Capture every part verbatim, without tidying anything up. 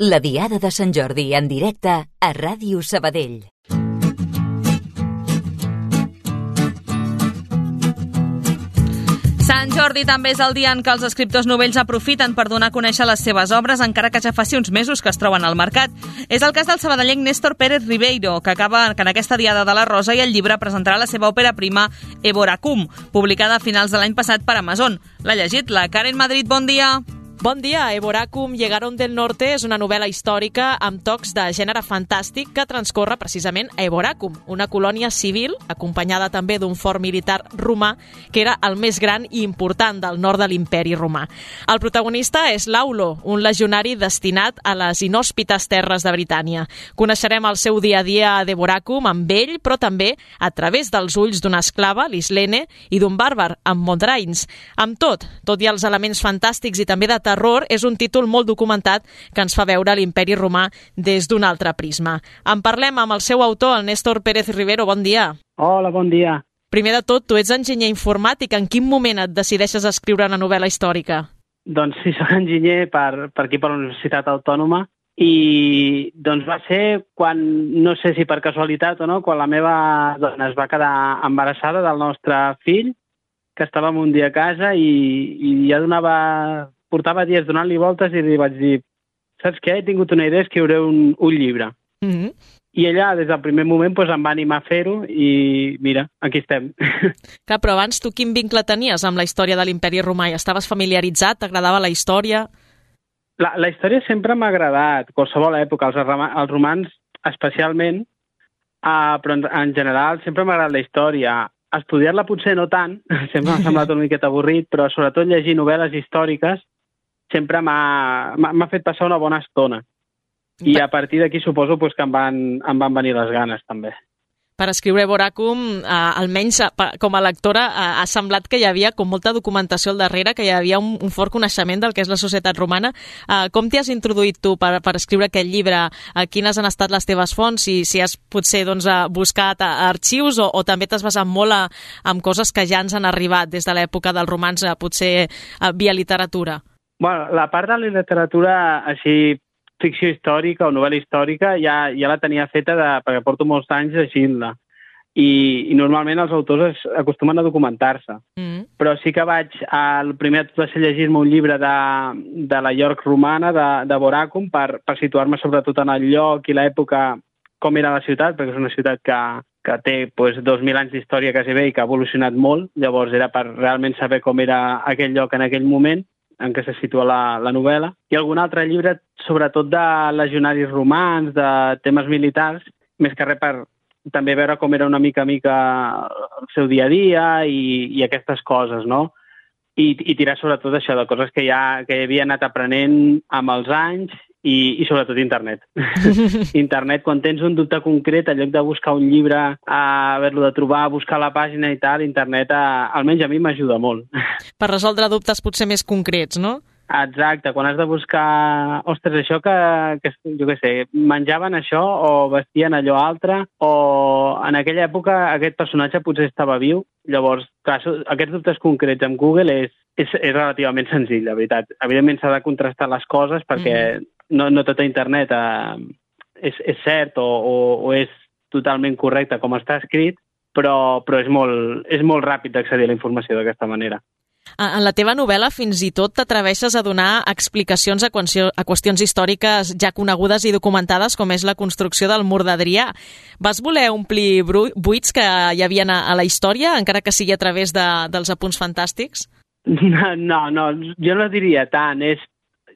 La Diada de Sant Jordi en directe a Ràdio Sabadell. Sant Jordi també és el dia en què els escriptors novells aprofiten per donar a conèixer les seves obres, encara que ja faci uns mesos que es troben al mercat. És el cas del sabadellenc Néstor Pérez Ribeiro, que acaba que en aquesta Diada de la Rosa i el llibre presentarà la seva òpera prima Eboracum, publicada a finals de l'any passat per Amazon. L'ha llegit la Karen Madrid. Bon dia! Bon dia. Eboracum, Llegaron del Norte és una novel·la històrica amb tocs de gènere fantàstic que transcorre precisament a Eboracum, una colònia civil acompanyada també d'un fort militar romà que era el més gran i important del nord de l'imperi romà. El protagonista és Laulo, un legionari destinat a les inhòspites terres de Britània. Coneixerem el seu dia a dia d'Eboracum amb ell, però també a través dels ulls d'una esclava, l'Islene, i d'un bàrbar, amb Mondrains. Amb tot, tot i els elements fantàstics i també de terror, és un títol molt documentat que ens fa veure l'imperi romà des d'un altre prisma. En parlem amb el seu autor, el Néstor Pérez Ribeiro. Bon dia. Hola, bon dia. Primer de tot, tu ets enginyer informàtic. En quin moment et decideixes a escriure una novel·la històrica? Doncs sí, soc enginyer per, per aquí, per la Universitat Autònoma, i doncs va ser quan, no sé si per casualitat o no, quan la meva dona es va quedar embarassada del nostre fill, que estàvem un dia a casa i, i ja donava... portava dies donant-li voltes i li vaig dir, saps què? He tingut una idea, escriuré un, un llibre. Mm-hmm. I ella, des del primer moment, doncs, em va animar a fer-ho i, mira, aquí estem. Clar, però abans tu quin vincle tenies amb la història de l'imperi romà? Estaves familiaritzat? T'agradava la història? La, la història sempre m'ha agradat, qualsevol època, els, els romans especialment, uh, però en, en general sempre m'ha agradat la història. Estudiar-la potser no tant, sempre m'ha semblat una miqueta avorrit, però sobretot llegir novel·les històriques sempre m'ha fet passar una bona estona. I a partir d'aquí suposo pues, que em van, em van venir les ganes, també. Per escriure Eboracum, eh, almenys com a lectora, eh, ha semblat que hi havia com molta documentació al darrere, que hi havia un, un fort coneixement del que és la societat romana. Eh, com t'hi has introduït tu per, per escriure aquest llibre? Eh, quines han estat les teves fonts? Si, si has potser doncs, buscat arxius o, o també t'has basat molt a, en coses que ja ens han arribat des de l'època dels romans, eh, potser eh, via literatura? Bueno, la part de la literatura així ficció històrica o novel·la històrica ja, ja la tenia feta de, perquè porto molts anys llegint-la. I, I normalment els autors es, acostumen a documentar-se. Mm. Però sí que vaig... El primer va ser llegir-me un llibre de, de la York romana, de, de Boracum, per, per situar-me sobretot en el lloc i l'època, com era la ciutat, perquè és una ciutat que, que té pues, dos mil anys d'història quasi bé i que ha evolucionat molt. Llavors era per realment saber com era aquell lloc en aquell moment en què se situa la, la novel·la, i algun altre llibre, sobretot de legionaris romans, de temes militars, més que res per també veure com era una mica a mica el seu dia a dia i, i aquestes coses, no? I, i tirar sobretot això, de coses que ja que havia anat aprenent amb els anys i, i sobretot internet. Internet, quan tens un dubte concret, en lloc de buscar un llibre, a haver-lo de trobar, buscar la pàgina i tal, internet, a, almenys a mi m'ajuda molt. Per resoldre dubtes potser més concrets, no? Exacte, quan has de buscar, ostres, això que, que jo què sé, menjaven això o vestien allò altre, o en aquella època aquest personatge potser estava viu. Llavors, clar, aquests dubtes concrets amb Google és, és, és relativament senzill, la veritat. Evidentment s'ha de contrastar les coses perquè mm. no, no tot a internet eh, és, és cert o, o, o és totalment correcte com està escrit, però, però és, molt, és molt ràpid d'accedir a la informació d'aquesta manera. En la teva novel·la fins i tot t'atreveixes a donar explicacions a, qüestion, a qüestions històriques ja conegudes i documentades, com és la construcció del mur d'Adrià. Vas voler omplir buits que hi havia a la història, encara que sigui a través de, dels apunts fantàstics? No, no, no, jo no diria tant. És...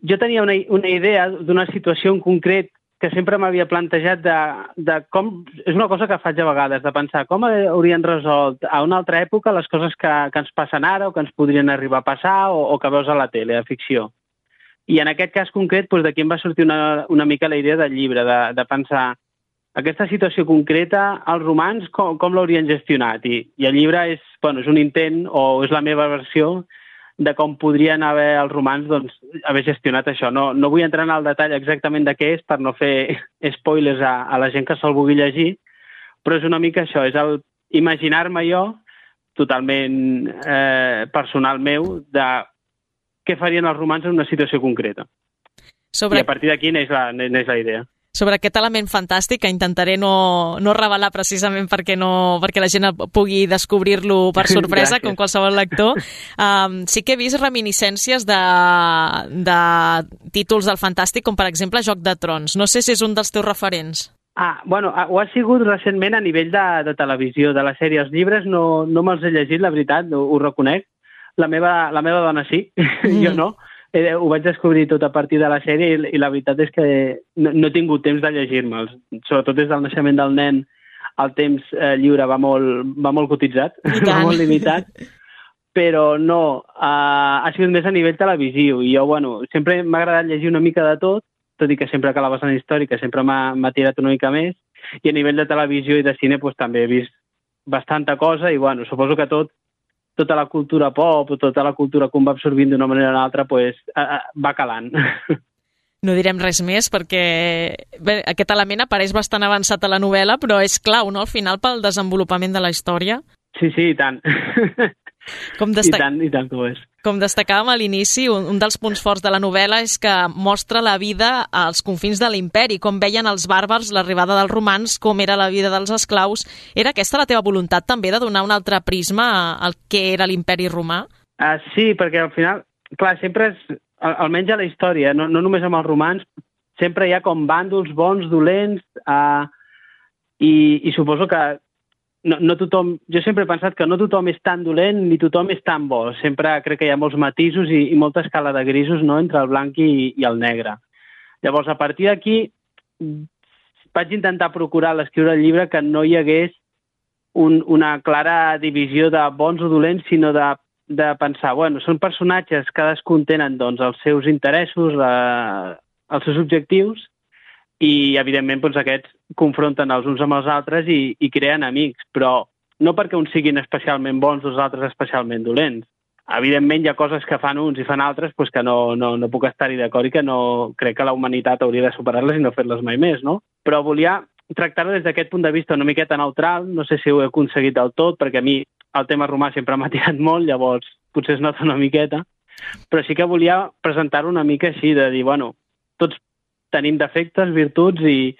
Jo tenia una, una idea d'una situació en concret que sempre m'havia plantejat de, de com... És una cosa que faig a vegades, de pensar com haurien resolt a una altra època les coses que, que ens passen ara o que ens podrien arribar a passar o, o que veus a la tele, a ficció. I en aquest cas concret, doncs, d'aquí em va sortir una, una mica la idea del llibre, de, de pensar aquesta situació concreta, els romans, com, com l'haurien gestionat? I, I el llibre és, bueno, és un intent, o és la meva versió, de com podrien haver els romans doncs, haver gestionat això. No, no vull entrar en el detall exactament de què és per no fer spoilers a, a la gent que se'l vulgui llegir, però és una mica això, és el imaginar-me jo, totalment eh, personal meu, de què farien els romans en una situació concreta. Sobre... I a partir d'aquí neix la, neix la idea. Sobre aquest element fantàstic, que intentaré no, no revelar precisament perquè, no, perquè la gent pugui descobrir-lo per sorpresa, com qualsevol lector, um, sí que he vist reminiscències de, de títols del fantàstic, com per exemple Joc de Trons. No sé si és un dels teus referents. Ah, bueno, ho ha sigut recentment a nivell de, de televisió, de la sèrie. Els llibres no, no me'ls he llegit, la veritat, ho, ho reconec. La meva, la meva dona sí, mm. jo no. Eh, ho vaig descobrir tot a partir de la sèrie i, i la veritat és que no, no he tingut temps de llegir-me'ls. Sobretot des del naixement del nen el temps eh, lliure va molt, va molt cotitzat, va molt limitat, però no, eh, ha sigut més a nivell televisiu i jo, bueno, sempre m'ha agradat llegir una mica de tot, tot i que sempre que la vessant històrica sempre m'ha tirat una mica més, i a nivell de televisió i de cine pues, també he vist bastanta cosa i bueno, suposo que tot tota la cultura pop o tota la cultura que un va absorbint d'una manera o una altra pues, va calant. No direm res més perquè bé, aquest element apareix bastant avançat a la novel·la, però és clau, no?, al final pel desenvolupament de la història. Sí, sí, i tant. Com destac... I tant, i tant que ho és. Com destacàvem a l'inici, un, un dels punts forts de la novel·la és que mostra la vida als confins de l'imperi, com veien els bàrbars l'arribada dels romans, com era la vida dels esclaus. Era aquesta la teva voluntat també, de donar un altre prisma al que era l'imperi romà? Uh, sí, perquè al final, clar, sempre és, almenys a la història, no, no només amb els romans, sempre hi ha com bàndols bons, dolents, uh, i, i suposo que No, no tothom, jo sempre he pensat que no tothom és tan dolent ni tothom és tan bo. Sempre crec que hi ha molts matisos i, i molta escala de grisos, no?, entre el blanc i, i el negre. Llavors, a partir d'aquí, vaig intentar procurar a l'escriure el llibre que no hi hagués un, una clara divisió de bons o dolents, sinó de, de pensar, bueno, són personatges, cadascun tenen doncs, els seus interessos, la, els seus objectius, i, evidentment, doncs, aquests confronten els uns amb els altres i, i creen amics, però no perquè uns siguin especialment bons, els altres especialment dolents. Evidentment, hi ha coses que fan uns i fan altres doncs, que no, no, no puc estar-hi d'acord i que no crec que la humanitat hauria de superar-les i no fer-les mai més, no? Però volia tractar-ho des d'aquest punt de vista una miqueta neutral, no sé si ho he aconseguit del tot, perquè a mi el tema romà sempre m'ha tirat molt, llavors potser es nota una miqueta, però sí que volia presentar-ho una mica així, de dir, bueno, tots tenim defectes, virtuts i,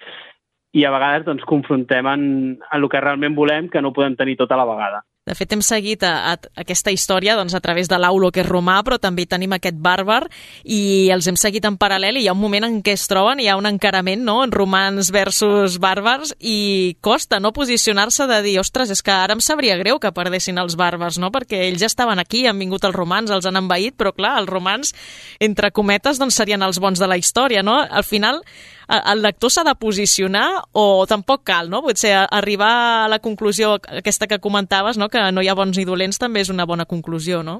i a vegades doncs, confrontem en, en el que realment volem, que no ho podem tenir tot a la vegada. De fet, hem seguit a, a aquesta història doncs, a través de l'Aulo, que és romà, però també tenim aquest bàrbar i els hem seguit en paral·lel i hi ha un moment en què es troben, hi ha un encarament, no?, en romans versus bàrbars i costa no posicionar-se de dir, ostres, és que ara em sabria greu que perdessin els bàrbars, no?, perquè ells ja estaven aquí, han vingut els romans, els han envaït, però clar, els romans, entre cometes, doncs serien els bons de la història, no? Al final, el lector s'ha de posicionar o tampoc cal, no? Potser arribar a la conclusió aquesta que comentaves, no?, que no hi ha bons ni dolents, també és una bona conclusió, no?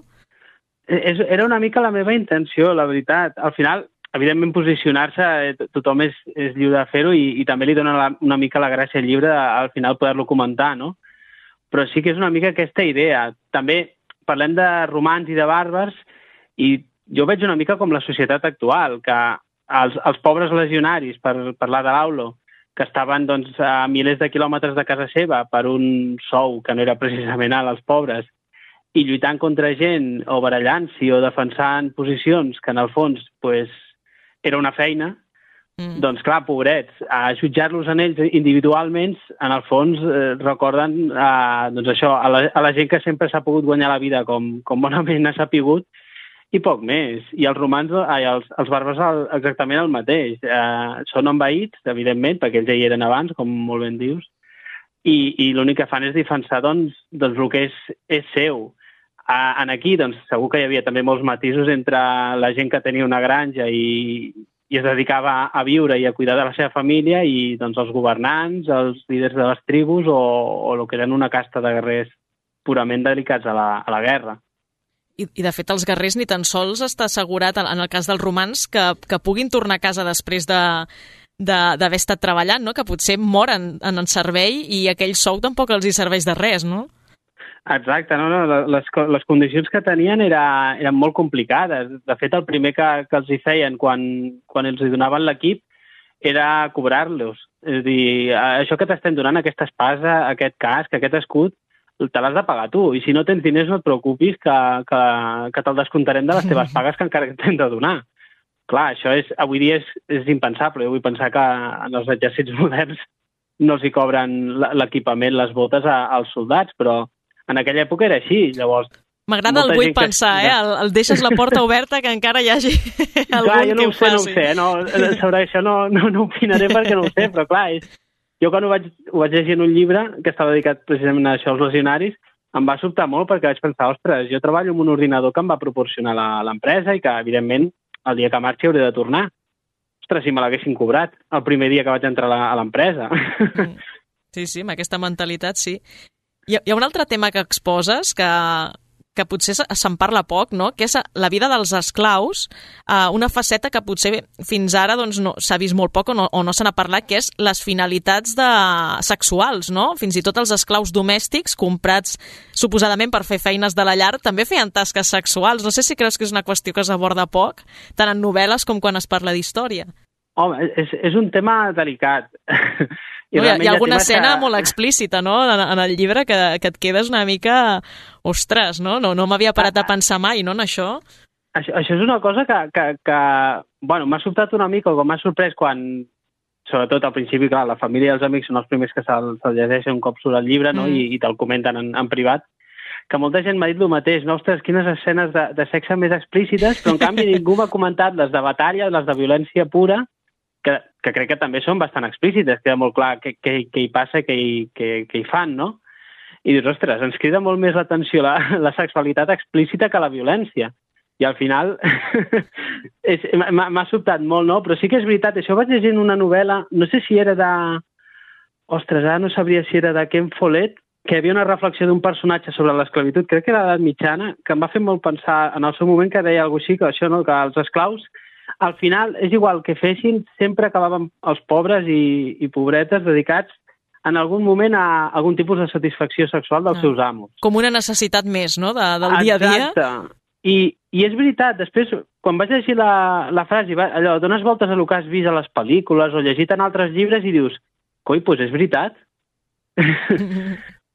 Era una mica la meva intenció, la veritat. Al final, evidentment, posicionar-se, tothom és, és lliure de fer-ho i, i també li dona la, una mica la gràcia al llibre al final poder-lo comentar, no? Però sí que és una mica aquesta idea. També parlem de romans i de bàrbars i jo veig una mica com la societat actual, que els, els pobres legionaris, per parlar de l'Aulo, que estaven doncs, a milers de quilòmetres de casa seva per un sou que no era precisament alt als pobres, i lluitant contra gent o barallant-s'hi o defensant posicions que en el fons pues, era una feina, mm. doncs clar, pobrets, a jutjar-los en ells individualment, en el fons eh, recorden eh, doncs això, a, la, a la gent que sempre s'ha pogut guanyar la vida com, com bonament s'ha pogut, i poc més. I els romans, ai, els, els bàrbars exactament el mateix. Eh, són envaïts, evidentment, perquè ells ja hi eren abans, com molt ben dius, i, i l'únic que fan és defensar doncs, doncs el que és, és seu. Eh, en aquí, doncs, segur que hi havia també molts matisos entre la gent que tenia una granja i, i es dedicava a, a viure i a cuidar de la seva família i doncs, els governants, els líders de les tribus o, o el que eren una casta de guerrers purament dedicats a la, a la guerra. I, I, de fet, els guerrers ni tan sols està assegurat, en el cas dels romans, que, que puguin tornar a casa després de d'haver estat treballant, no? Que potser moren en el servei i aquell sou tampoc els hi serveix de res, no? Exacte, no, no, les, les condicions que tenien era, eren molt complicades. De fet, el primer que, que els hi feien quan, quan els hi donaven l'equip era cobrar-los. És a dir, això que t'estem donant, aquesta espasa, aquest casc, aquest escut, te l'has de pagar tu, i si no tens diners no et preocupis que, que, que te'l descomptarem de les teves pagues que encara t'hem de donar. clar, això és, avui dia és, és impensable. Jo vull pensar que en els exèrcits moderns no els hi cobren l'equipament, les botes a, als soldats, però en aquella època era així. Llavors, m'agrada el vull pensar, que... eh? El, el deixes la porta oberta que encara hi hagi algun clar, jo no que ho sé, no ho sé. No, sobre això no, no, no opinaré perquè no ho sé, però clar, és... jo quan ho vaig, ho vaig llegir en un llibre que estava dedicat precisament a això, als legionaris, em va sobtar molt perquè vaig pensar, ostres, jo treballo amb un ordinador que em va proporcionar l'empresa i que, evidentment, el dia que marxi hauré de tornar. Ostres, si me l'haguessin cobrat el primer dia que vaig entrar a l'empresa. Sí, sí, amb aquesta mentalitat, sí. Hi ha, hi ha un altre tema que exposes que, que potser se'n parla poc, no? Que és la vida dels esclaus, eh, una faceta que potser fins ara doncs, no, s'ha vist molt poc o no, o no se n'ha parlat, que és les finalitats de... sexuals, no? Fins i tot els esclaus domèstics, comprats suposadament per fer feines de la llar, també feien tasques sexuals. No sé si creus que és una qüestió que s'aborda poc, tant en novel·les com quan es parla d'història. Home, és, és un tema delicat. I no, hi ha, hi ha alguna escena que... molt explícita, no?, en, en el llibre que, que et quedes una mica... Ostres, no? No, no m'havia parat a pensar mai, no, en això? Això, això és una cosa que, que, que bueno, m'ha sobtat una mica, o que m'ha sorprès quan, sobretot al principi, clar, la família i els amics són els primers que se'l se llegeixen un cop surt el llibre, no?, mm. i, i te'l comenten en, en privat, que molta gent m'ha dit el mateix, no, ostres, quines escenes de, de sexe més explícites, però en canvi ningú m'ha comentat les de batalla, les de violència pura, que, que crec que també són bastant explícites, queda molt clar què, què, què hi passa, què hi, què, què hi fan, no? I dius, ostres, ens crida molt més l'atenció la, la sexualitat explícita que la violència. I al final m'ha sobtat molt, no? Però sí que és veritat, això ho vaig llegir en una novel·la, no sé si era de... Ostres, ara no sabria si era de Ken Follett, que hi havia una reflexió d'un personatge sobre l'esclavitud, crec que era l'edat mitjana, que em va fer molt pensar en el seu moment, que deia alguna cosa així, que això, no?, que els esclaus, al final, és igual que fessin, sempre acabaven els pobres i, i pobretes dedicats en algun moment a algun tipus de satisfacció sexual dels ah. seus amos. Com una necessitat més, no?, de, del dia a dia. Exacte. I, I és veritat, després, quan vaig llegir la, la frase, va, allò, dones voltes a el que has vist a les pel·lícules o llegit en altres llibres i dius, coi, doncs és veritat.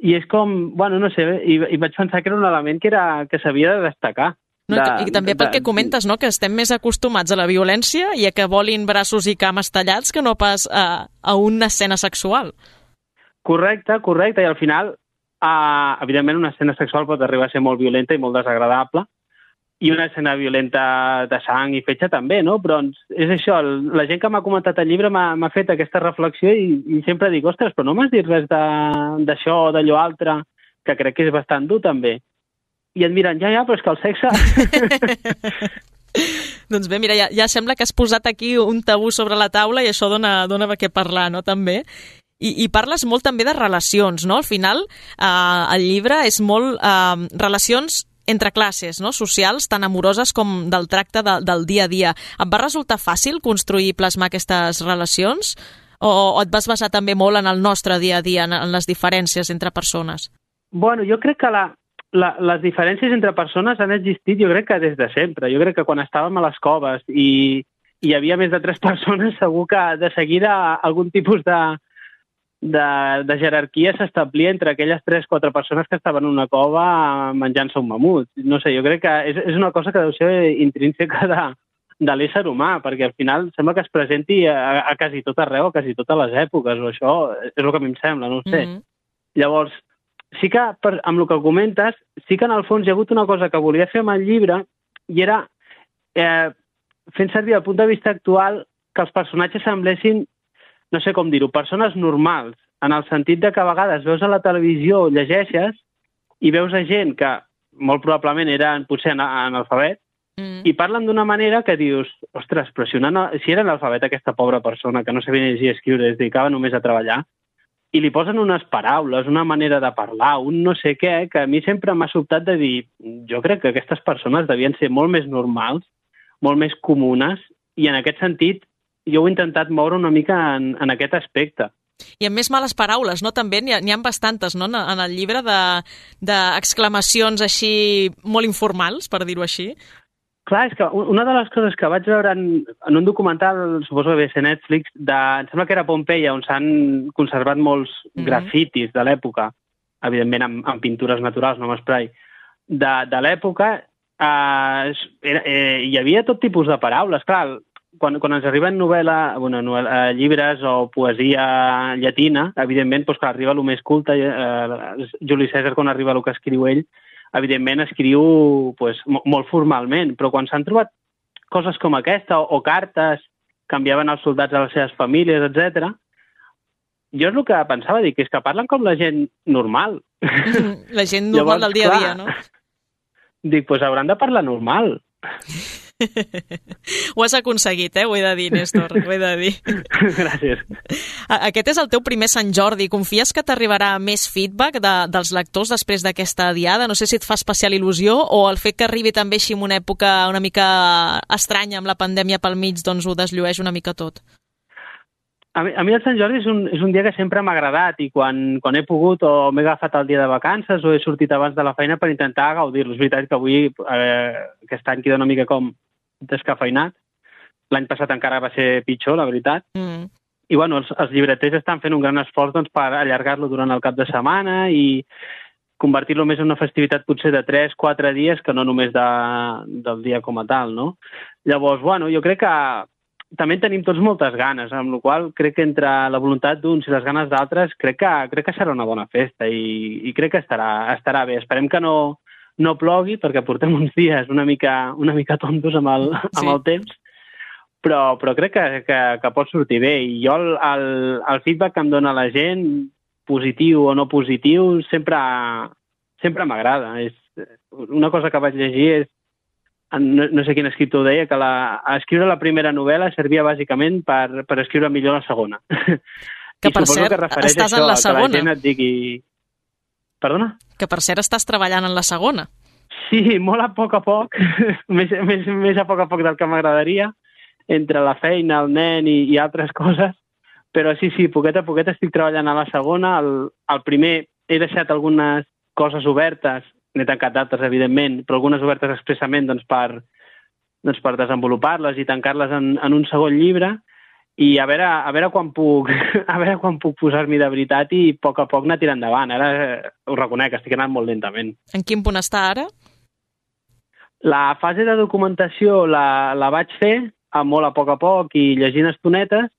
I és com, bueno, no sé, i, i vaig pensar que era un element que, era, que s'havia de destacar. No, de, I també pel de, que comentes, no?, que estem més acostumats a la violència i a que volin braços i cames tallats que no pas a, a una escena sexual. Correcte, correcte, i al final, uh, evidentment, una escena sexual pot arribar a ser molt violenta i molt desagradable, i una escena violenta de sang i fetge també, no? Però és això, la gent que m'ha comentat el llibre m'ha fet aquesta reflexió i, i sempre dic, ostres, però no m'has dit res d'això o d'allò altre, que crec que és bastant dur també. I et miren, ja, ja, però és que el sexe... Doncs bé, mira, ja, ja sembla que has posat aquí un tabú sobre la taula i això dona, dona què parlar, no?, també. I, I parles molt també de relacions, no? Al final, eh, el llibre és molt eh, relacions entre classes, no?, socials, tan amoroses com del tracte de, del dia a dia. Et va resultar fàcil construir i plasmar aquestes relacions? O, o et vas basar també molt en el nostre dia a dia, en, en les diferències entre persones? Bueno, jo crec que la, la, les diferències entre persones han existit, jo crec que des de sempre. Jo crec que quan estàvem a les coves i, i hi havia més de tres persones, segur que de seguida algun tipus de De, de jerarquia s'establia entre aquelles tres o quatre persones que estaven en una cova menjant-se un mamut. No sé, jo crec que és, és una cosa que deu ser intrínseca de, de l'ésser humà, perquè al final sembla que es presenti a, a quasi tot arreu, a quasi totes les èpoques, o això és el que a mi em sembla, no ho sé. Mm-hmm. Llavors, sí que, per, amb el que comentes, sí que en el fons hi ha hagut una cosa que volia fer amb el llibre, i era, eh, fent servir el punt de vista actual, que els personatges semblessin, no sé com dir-ho, persones normals, en el sentit de que a vegades veus a la televisió, llegeixes, i veus a gent que molt probablement eren potser analfabet, mm. i parlen d'una manera que dius, ostres, però si, una, si era analfabet aquesta pobra persona que no sabia llegir i escriure, es dedicava només a treballar, i li posen unes paraules, una manera de parlar, un no sé què, que a mi sempre m'ha sobtat de dir, jo crec que aquestes persones devien ser molt més normals, molt més comunes, i en aquest sentit jo he intentat moure una mica en, en aquest aspecte. I amb més males paraules, no? També n'hi ha, n'hi ha bastantes, no?, en el llibre d'exclamacions de, així molt informals, per dir-ho així. Clar, és que una de les coses que vaig veure en, en un documental, suposo que ve a ser Netflix, de, em sembla que era Pompeia, on s'han conservat molts mm-hmm. grafitis de l'època, evidentment amb, amb pintures naturals, no amb esprai, de, de l'època, Uh, era, eh, hi havia tot tipus de paraules. Clar, quan, quan ens arriben novel·la, bueno, novel·la, llibres o poesia llatina, evidentment, doncs, clar, arriba el més culte. Eh, Juli Cèsar, quan arriba el que escriu ell, evidentment escriu pues, molt formalment, però quan s'han trobat coses com aquesta, o, o cartes que enviaven els soldats a les seves famílies, etcètera, jo és el que pensava, dic, és que parlen com la gent normal. La gent normal Llavors, del dia a dia, no? Dic, doncs hauran de parlar normal. Ho has aconseguit, eh? Ho he de dir, Néstor, ho he de dir. Gràcies. Aquest és el teu primer Sant Jordi. Confies que t'arribarà més feedback de, dels lectors després d'aquesta diada? No sé si et fa especial il·lusió o el fet que arribi també així en una època una mica estranya amb la pandèmia pel mig, doncs ho desllueix una mica tot. A mi, a mi el Sant Jordi és un, és un dia que sempre m'ha agradat i quan, quan he pogut o m'he agafat el dia de vacances o he sortit abans de la feina per intentar gaudir-lo. És veritat que avui, eh, aquest any queda una mica com descafeinat. L'any passat encara va ser pitjor, la veritat. Mm. I bueno, els, els llibreters estan fent un gran esforç doncs, per allargar-lo durant el cap de setmana i convertir-lo més en una festivitat potser de tres quatre dies que no només de, del dia com a tal, no? Llavors, bueno, jo crec que també tenim tots moltes ganes, amb la qual crec que entre la voluntat d'uns i les ganes d'altres crec que, crec que serà una bona festa i, i crec que estarà, estarà bé. Esperem que no, no plogui perquè portem uns dies una mica, una mica tontos amb el, sí. amb el temps, però, però crec que, que, que pot sortir bé. I jo el, el, el feedback que em dona la gent, positiu o no positiu, sempre, sempre m'agrada. És, una cosa que vaig llegir és No, no sé quin escriptor deia, que la, escriure la primera novel·la servia bàsicament per, per escriure millor la segona. Que per cert, que estàs això, en la segona. Que la gent et digui... Perdona? Que per cert estàs treballant en la segona. Sí, molt a poc a poc, més, més, més a poc a poc del que m'agradaria, entre la feina, el nen i, i altres coses, però sí, sí, poquet a poquet estic treballant a la segona. El, el primer he deixat algunes coses obertes, n'he tancat d'altres, evidentment, però algunes obertes expressament doncs, per, doncs, per desenvolupar-les i tancar-les en, en un segon llibre i a veure, a veure quan puc a veure quan puc posar-m'hi de veritat i a poc a poc anar tirant endavant. Ara eh, ho reconec, estic anant molt lentament. En quin punt està ara? La fase de documentació la, la vaig fer a molt a poc a poc i llegint estonetes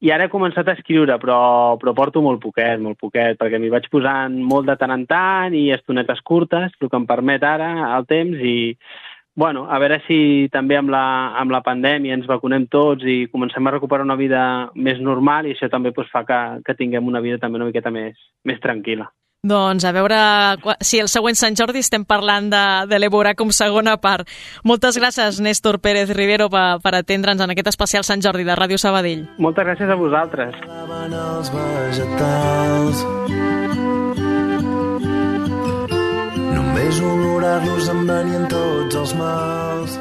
i ara he començat a escriure, però, però porto molt poquet, molt poquet, perquè m'hi vaig posant molt de tant en tant i estonetes curtes, el que em permet ara el temps i, bueno, a veure si també amb la, amb la pandèmia ens vacunem tots i comencem a recuperar una vida més normal i això també pues, fa que, que tinguem una vida també una miqueta més, més tranquil·la. Doncs a veure si el següent Sant Jordi estem parlant de, de l'Ébora com segona part. Moltes gràcies, Néstor Pérez Rivero, per, per atendre'ns en aquest especial Sant Jordi de Ràdio Sabadell. Moltes gràcies a vosaltres. Els vegetals, només olorar-los em venien tots els mals.